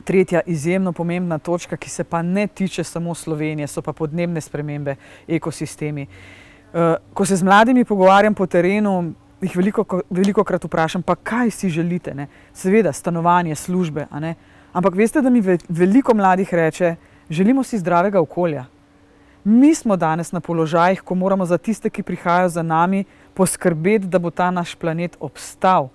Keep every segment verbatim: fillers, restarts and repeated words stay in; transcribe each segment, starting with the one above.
Tretja izjemno pomembna točka, ki se pa ne tiče samo Slovenije, so pa podnebne spremembe, ekosistemi. Ko se z mladimi pogovarjam po terenu, jih veliko, veliko krat vprašam, pa kaj si želite, ne? Seveda, stanovanje, službe, a ne? Ampak veste, da mi veliko mladih reče, želimo si zdravega okolja. Mi smo danes na položajih, ko moramo za tiste, ki prihajajo za nami, poskrbeti, da bo ta naš planet obstal.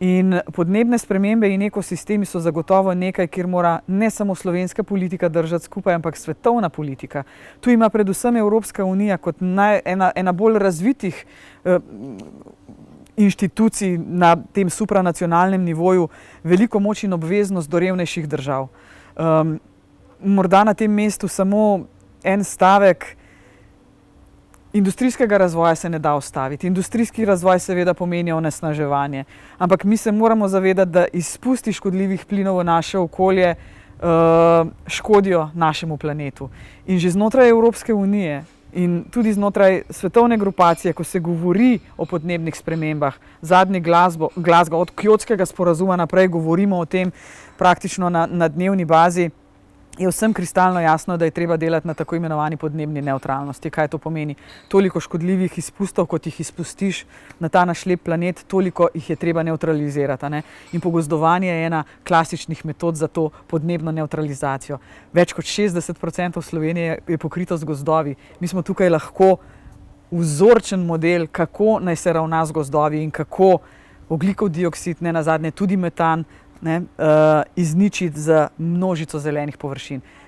In podnebne spremembe in ekosistemi so zagotovo nekaj, kjer mora ne samo slovenska politika držati skupaj, ampak svetovna politika. Tu ima predvsem Evropska unija kot naj, ena, ena bolj razvitih eh, inštitucij na tem supranacionalnem nivoju veliko moč in obveznost do revnejših držav. Um, morda na tem mestu samo en stavek. Industrijskega razvoja se ne da ustaviti. Industrijski razvoj seveda pomeni onesnaževanje. Ampak mi se moramo zavedati, da izpusti škodljivih plinov v naše okolje uh, škodijo našemu planetu. In že znotraj Evropske unije in tudi znotraj svetovne grupacije, ko se govori o podnebnih spremembah, zadnji Glasgow, od Kjotskega sporazuma naprej govorimo o tem praktično na, na dnevni bazi, je vsem kristalno jasno, da je treba delati na tako imenovani podnebni nevtralnosti. Kaj to pomeni? Toliko škodljivih izpustov, kot jih izpustiš na ta naš lep planet, toliko jih je treba nevtralizirati. Ne? In pogozdovanje je ena klasičnih metod za to podnebno nevtralizacijo. Več kot šestdeset procentov Slovenije je pokrito z gozdovi. Mi smo tukaj lahko vzorčen model, kako naj se ravna z gozdovi in kako ogljikov dioksid, ne nazadnje tudi metan, Ne, uh, izničiti z množico zelenih površin.